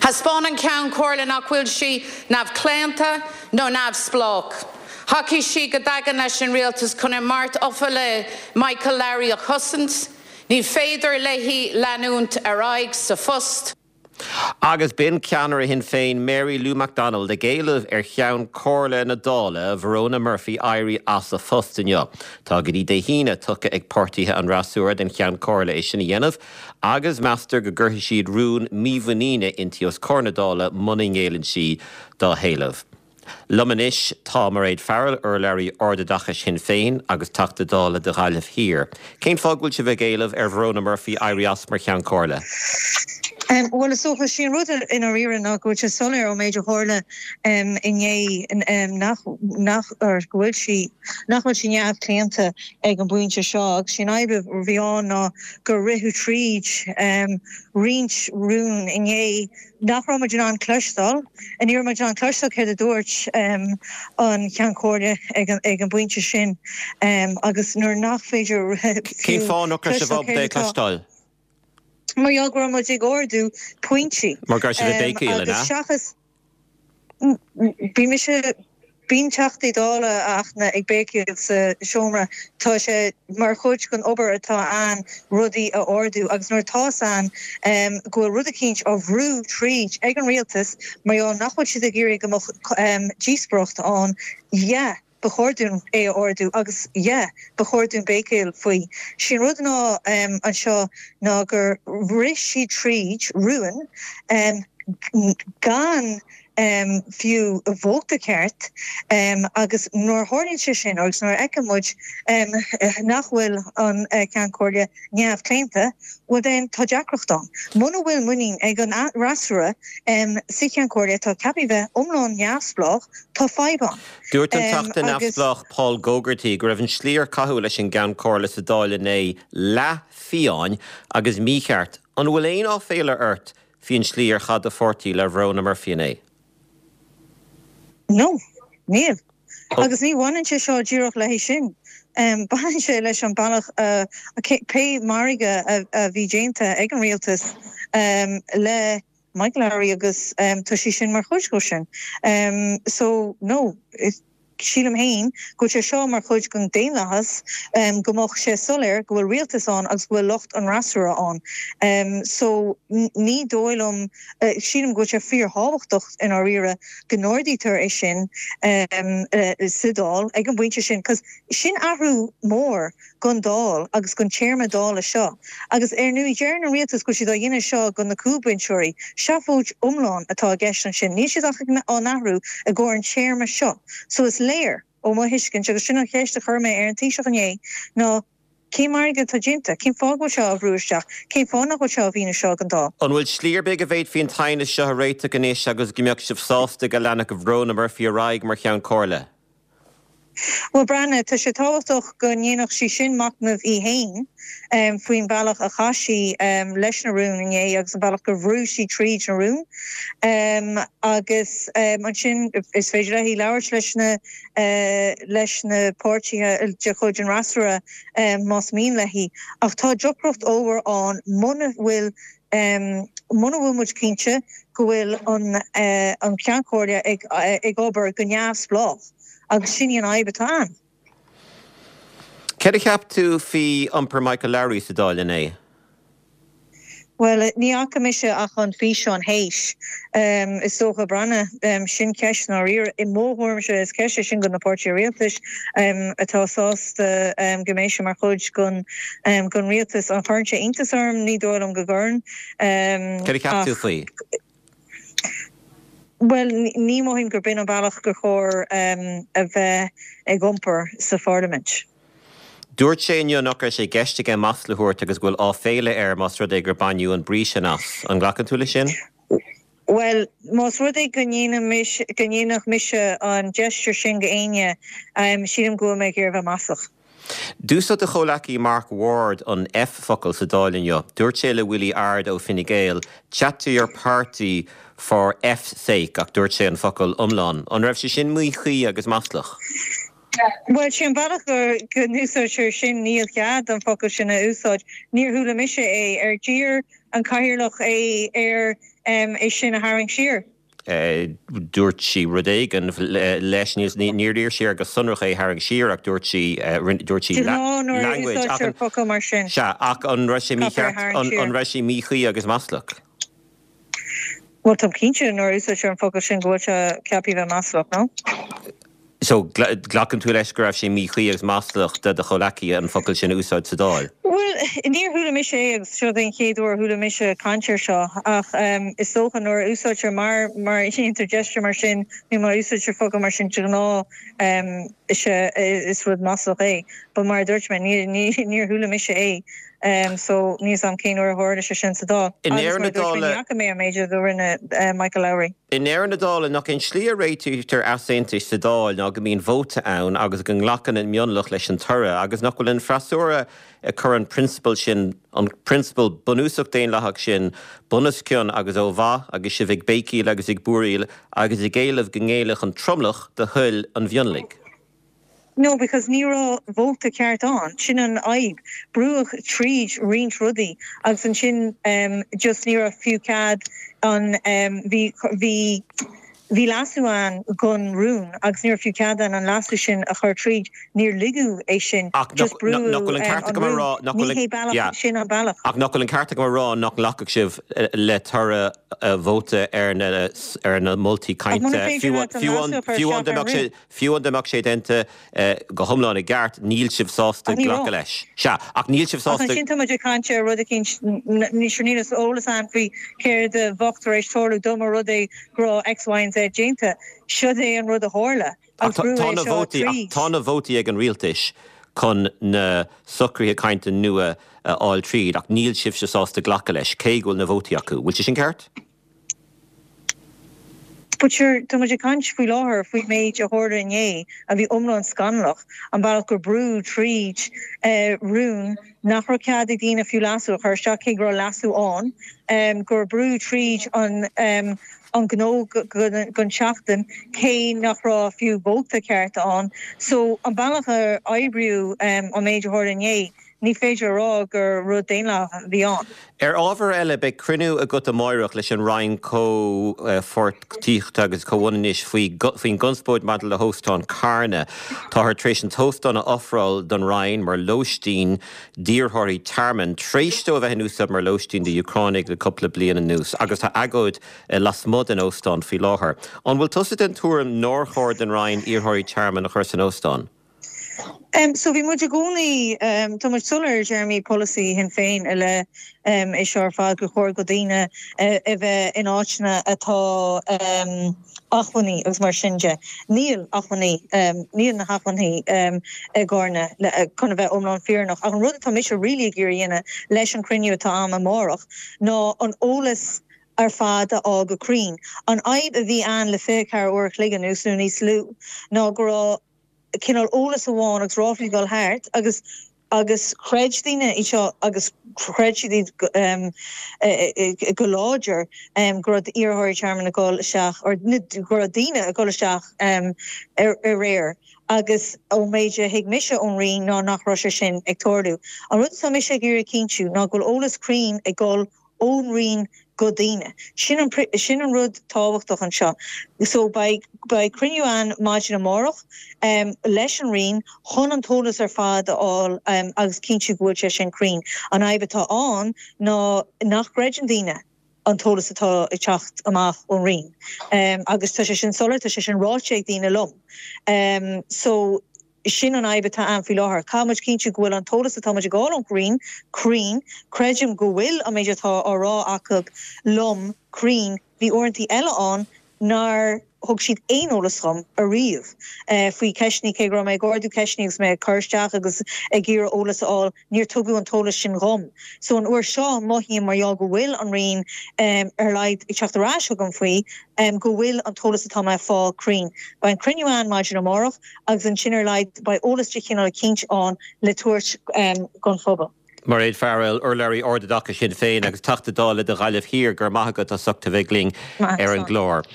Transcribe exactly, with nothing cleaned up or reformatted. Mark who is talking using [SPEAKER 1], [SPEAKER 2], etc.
[SPEAKER 1] Thaispeáin an Ceann Comhairle nach bhfuil sí neamhchlaonta nó neamhspleách. Thacaigh sí go daingean leis an rialtas chun a mbeart tofa le Michael Lowry a chosaint, ní féidir léi leanúint ar aghaidh sa phost.
[SPEAKER 2] Agus b'in ceannaire Shinn Féin Mary Lou McDonald ag éileamh ar cheann Comhairle na Dála Verona Murphy éirí as a phost inniu. Tá go dtí Dé hAoine tugtha ag páirtithe an fhreasúra don cheann comhairle é sin a dhéanamh, agus meastar go gcuirfidh siad rún mímhuiníne inti os comhair na Dála muna ngéilleann sí dá héileamh. Liom anois tá Mairéad Farrell urlabhraí ardoideachais Shinn Féin agus Teachta Dála do Ghaillimh Thiar. Cén fáth go bhfuil sibh ag éileamh ar Verona Murphy éirí as mar cheann comhairle?
[SPEAKER 3] Bhuel is dócha sé an rud i ndáiríre ná go bhfuil sé soiléir ón méid a tharla inné nach nach go bhfuil sí nach bhfuil sí neamhchlaonta ag an bpointe seo agus sin fhadhb a bhí ann ná gur ritheadh tríd roinnt rún inné nach raibh muid in ann cloisteáil ní raibh muid in ann cloisteáil céard a dúirt an Ceann Comhairle ag ag an bpointe sin agus nuair nach féidir
[SPEAKER 2] Cén fáth nach raibh sibh ábalta é cloisteáil?
[SPEAKER 3] Mar gheall go raibh muid ag ardú pointí.
[SPEAKER 2] Mar go raibh sibh ag béicíl
[SPEAKER 3] ina? Seachas bhí mise bíonn Teachtaí Dála achna ag béicíl sa seomra tá sé mar chuid den obair atá ann rudaí a ardú agus nuair atá an go bhfuil rud eicínt á bhrú tríd ag an rialtas mar gheall nach bhfuil siad ag iarraidh go mbeadh díospóireacht ann yeah ba chóir dúinn é a ardú agus yeah ba chóir dúinn béicíl faoi. Sin rud ná um, anseo ná gur rith sí tríd rún um, gan um, fiú vóta ceart um, agus nuair a tharlaíonn sé sin agus nuair a fheiceann muid um, nach bhfuil an uh, Ceann Comhairle neamhchlaonta, well then tá deacracht ann. Muna bhfuil muinín ag an fhreasúra um, sa Cheann Comhairle tá ceaptha bheith iomlán neamhspleách tá fadhb ann.
[SPEAKER 2] Dúirt an Teachta neamhspleách Paul Gogarty go raibh an slí ar caitheadh leis an gceann comhairle sa Dáil inné leathfhiáin agus mícheart. An bhfuil aon áiféala ort faoin slí ar chaith do pháirtí le Verona Murphy inné?
[SPEAKER 3] No, níl. Agus ní bhaineann sé seo díreach léi sin. Um, Baineann sé leis an bealach uh, pé margadh a, a bhí déanta ag an rialtas um, le Michael Lowry agus um, tá sé sin mar chuid de sin. Um, so no, sílim féin go sé seo mar chuid den daonlathas um, go mbeadh sé soiléir go bhfuil rialtas ann agus go bhfuil lucht an fhreasúra ann. Um, so ní dóigh liom uh, sílim go sé fíorthábhachtach i ndáiríre go n-ardaítear é sin um, uh, sa Dáil ag an bpointe sin, cos sin athrú mór don Dáil agus don téarma Dála seo. Agus ar ndóigh deir an rialtas go siad á dhéanamh seo do na cúlbhinseoirí, seafóid iomlán atá i gceist ansin, níl siad ach á athrú i gcomhair an téarma seo. So is léir ó mo thuiscint agus sin an cheist a chuir mé ar an Taoiseach inné ná cén margadh atá déanta, cén fáth go seo á bhrú isteach, cén fáth nach bhfuil seo á mhíniú seo don Dáil.
[SPEAKER 2] An bhfuil slí ar bith go bhféadfaí an t-aighneas seo a réiteach anois agus go mbeadh sibh sásta go leanfadh Verona Murphy ar aghaidh mar cheann comhairle.
[SPEAKER 3] Well breathnaigh tá sé tábhachtach go ndéanfadh sí sin machnamh í féin um, faoin bealach a chaith sí um, leis na rúin inné agus an bealach gur bhrú sí tríd na rúin. Um, agus um, ansin is féidir léi labhairt leis na uh, leis na páirtithe de chuid an fhreasúra um, más mian léi. Ach tá deacracht ollmhór ann muna bhfuil um, muna bhfuil muid cinnte go bhfuil an, uh, an Ceann Comhairle ag, uh, ag obair go neamhspleách. agus sin an fhadhb atá ann.
[SPEAKER 2] Céard a cheap tú faoi iompar Michael Lowry sa Dáil inné?
[SPEAKER 3] Well ní fhaca mise ach an físeán théis um, is dócha breathnaigh um, sin ceist ná i mo thuairimse is ceist sin do na páirtithe rialtais um, atá sásta um, go mbeidh sé mar chuid den um, den rialtas an gcuireann sé iontas orm ní dóigh liom go gcuireann. Um,
[SPEAKER 2] Céard a cheap tú faoi?
[SPEAKER 3] Well ní mothaím gur b'in an bealach gur chóir um, a bheith ag iompar sa pharlaimint.
[SPEAKER 2] Dúirt sé inniu nach raibh sé i gceist aige masla a thabhairt agus go bhfuil áiféala air más rud é gur baineadh an brí sin as. An nglacann tú leis sin?
[SPEAKER 3] Well, más rud é go ndéanfadh mise an gesture sin go éinne um, sílim go mé gur bheith maslach.
[SPEAKER 2] D'úsáid do chomhghleacaí Mark Ward an F-focal sa Dáil inniu. Dúirt sé le Willie Ard ó Fine Gael, chat to your party for F's sake ach dúirt sé an focal iomlán. An raibh sé sin míchuí agus maslach?
[SPEAKER 3] Well sé an bealach gur go n-úsáidtear sin níl cead an focal sin a úsáid. Níor chuala mise é ar d'iarr an cathaoirleach é ar é sin a tharraingt siar.
[SPEAKER 2] Dúirt sí rud éigin leis níor iarr sí go sonrach é tharraingt siar ach dúirt sí dúirt sí
[SPEAKER 3] language mar sin.
[SPEAKER 2] Sea ach an raibh sé mícheart an raibh sé míchuí agus maslach.
[SPEAKER 3] Well tá cinnte nuair úsáidtear an focal sin go bhfuil sé ceaptha bheith maslach no?
[SPEAKER 2] So glacann tú leis go raibh sé míchuí agus maslach de do chomhghleacaí an focal sin a úsáid sa Dáil?
[SPEAKER 3] Well níor chuala mise é agus seo den chéad uair chuala mise caint air seo ach um, is dócha nuair úsáidtear mar mar déantar gesture mar sin nó má úsáidtear focal mar sin de ghnáth um, is is rud maslach é. Ba mar dúirt mé níor chuala mise é. Um, so níl a fhios agam cén uair a tharla sé sin sa Dáil.
[SPEAKER 2] I ndeireadh na dála
[SPEAKER 3] mé méidir do rinne uh, Michael Lowry.
[SPEAKER 2] I ndeireadh na dála nach an slí a réitítear easaontais sa Dáil ná go mbíonn vóta ann agus go nglacann an mionlach leis an toradh agus nach bhfuil an freasúra ag cur an prionsabal sin an prionsabal bunúsach daonlathach sin bunoscionn agus ó mhaith agus sibh ag béicíl agus ag búiríl agus ag éileamh go ngéillfeadh an tromlach do thoil an mhionlaigh.
[SPEAKER 3] No, because ní raibh vóta ceart ann sin an fhadhb brúdh tríd roinnt rudaí agus ansin um, just ní raibh fiú cead an um, bhí bhí bhí leasú ann don rún agus ní raibh fiú cead an an leasú sin a chur tríd níor ligeadh é sin
[SPEAKER 2] just brú
[SPEAKER 3] um, sin an bealach.
[SPEAKER 2] Ach nach bhfuil an ceart agam a rá nach nglacfadh sibh eh, le toradh eh, vóta ar na ar na moltaí cainte fiú fiú dá mbeadh sé déanta eh, go hiomlán i gceart níl sibh sásta glacadh leis. Sea ach níl sibh sásta
[SPEAKER 3] sin tá caint rud eicínt ní níos eolas ann faoi céard a bheadh tar éis tarlú dá mba rud é go raibh X, Y and Z déanta. Seo é an rud a tharla.
[SPEAKER 2] Tá na vótaí ag an rialtas chun na socruithe cainte nua a fháil tríd ach níl sibhse sásta glacadh leis cé go bhfuil na vótaí acu. Bhfuil sé sin ceart?
[SPEAKER 3] But sure tá muid ag caint faoi láthair faoi méid a tharla inné a bhí iomlán scannalach an bealach gur brúdh tríd uh, rún nach raibh cead ag daoine fiú leasú a chur isteach cé go raibh leasú ann um, gur brúdh tríd an um, an gnó don tseachtain cé nach raibh fiú vóta ceart ann. So an bealach a oibríodh um, an méid a tharla inné ní féidir rá gur rud daonlathach a bhí ann.
[SPEAKER 2] Ar ábhar eile beidh cruinniú agat amárach leis an Roinn Comhpháirtíochta agus Comhionannais faoin gconspóid maidir le hóstán Carna. Táthar tar éis an t-óstán a ofráil don Roinn mar lóistín d'iarrthóirí tearmainn tar éis dó a bheith in úsáid mar lóistín d'Úcránaigh le cúpla bliain anuas agus tá agóid lasmuigh den óstán faoi láthair. An bhfuil tusa den tuairim nár chóir don Roinn iarrthóirí tearmainn a chur san óstán?
[SPEAKER 3] Um, so bhí muid i gcónaí um, tá muid soiléir i dtéarmaí polasaí Shinn Féin i leith um, é seo ar fad gur chóir do dhaoine uh, a bheith in áiteanna atá um, acmhainní agus mar sin de. Níl acmhainní um, níl na hacmhainní um, i gCarna chun a bheith iomlán fírinneach. Ach an rud atá mise really ag iarraidh leis an cruinniú atá agam amárach ná an eolas ar fad a fháil go cruinn. An fhadhb a bhí ann le fiche ceathair uair an chloig anuas nó níos lú ná go raibh cineál eolas amháin agus ráflaí ag dul thart agus agus chreid daoine í seo agus chreid siad um, go láidir um, go raibh iarrthóirí tearmainn ag dul isteach or go raibh daoine ag dul isteach um, ar aréir. agus ó méid a thuig mise ón Roinn ná nach raibh sé sin ag tarlú. An rud atá mise ag iarraidh cinntiú ná go bhfuil eolas cruinn ag dul ón Roinn go daoine. Sin an, sin an rud tábhachtach anseo. So beidh beidh cruinniú ann maidin amárach um, leis an Roinn chun an t-eolas ar fad a fháil um, agus cinntiú go bhfuil sé sin cruinn. An fhadhb atá ann ná nach gcreideann daoine an t-eolas atá ag teacht amach ón Roinn. Um, agus tá sé sin soiléir tá sé sin ráite ag daoine liom. Um, so sin an fhadhb atá ann faoi láthair. Caithfidh muid cinntiú go bhfuil an t-eolas atá ag dul ón Roinn cruinn, creidim go bhfuil an méid atá á rá acu liom cruinn, bhí uaireanta eile ann nár thug siad aon eolas dom ariamh uh, faoi ceisteanna cé go raibh mé ag ardú ceisteanna agus mé ag cur isteach agus ag iarraidh eolas a fháil níor tugadh an t-eolas sin dhom. So an uair seo mothaím mar go bhfuil an Roinn um, ar leid ag teacht ar ais chugam faoi um, go bhfuil an t-eolas atá mé ag fáil cruinn. Beidh an cruinniú ann maidin amárach agus ansin ar leid beidh eolas de chineál eicínt ann le tabhairt um, don phobal.
[SPEAKER 2] Mairéad Farrell urlabhraí Ardoideachais Shinn Féin agus Teachta Dála do Ghaillimh Thiar go raibh maith agat as ucht a bheith linn ar an gclár.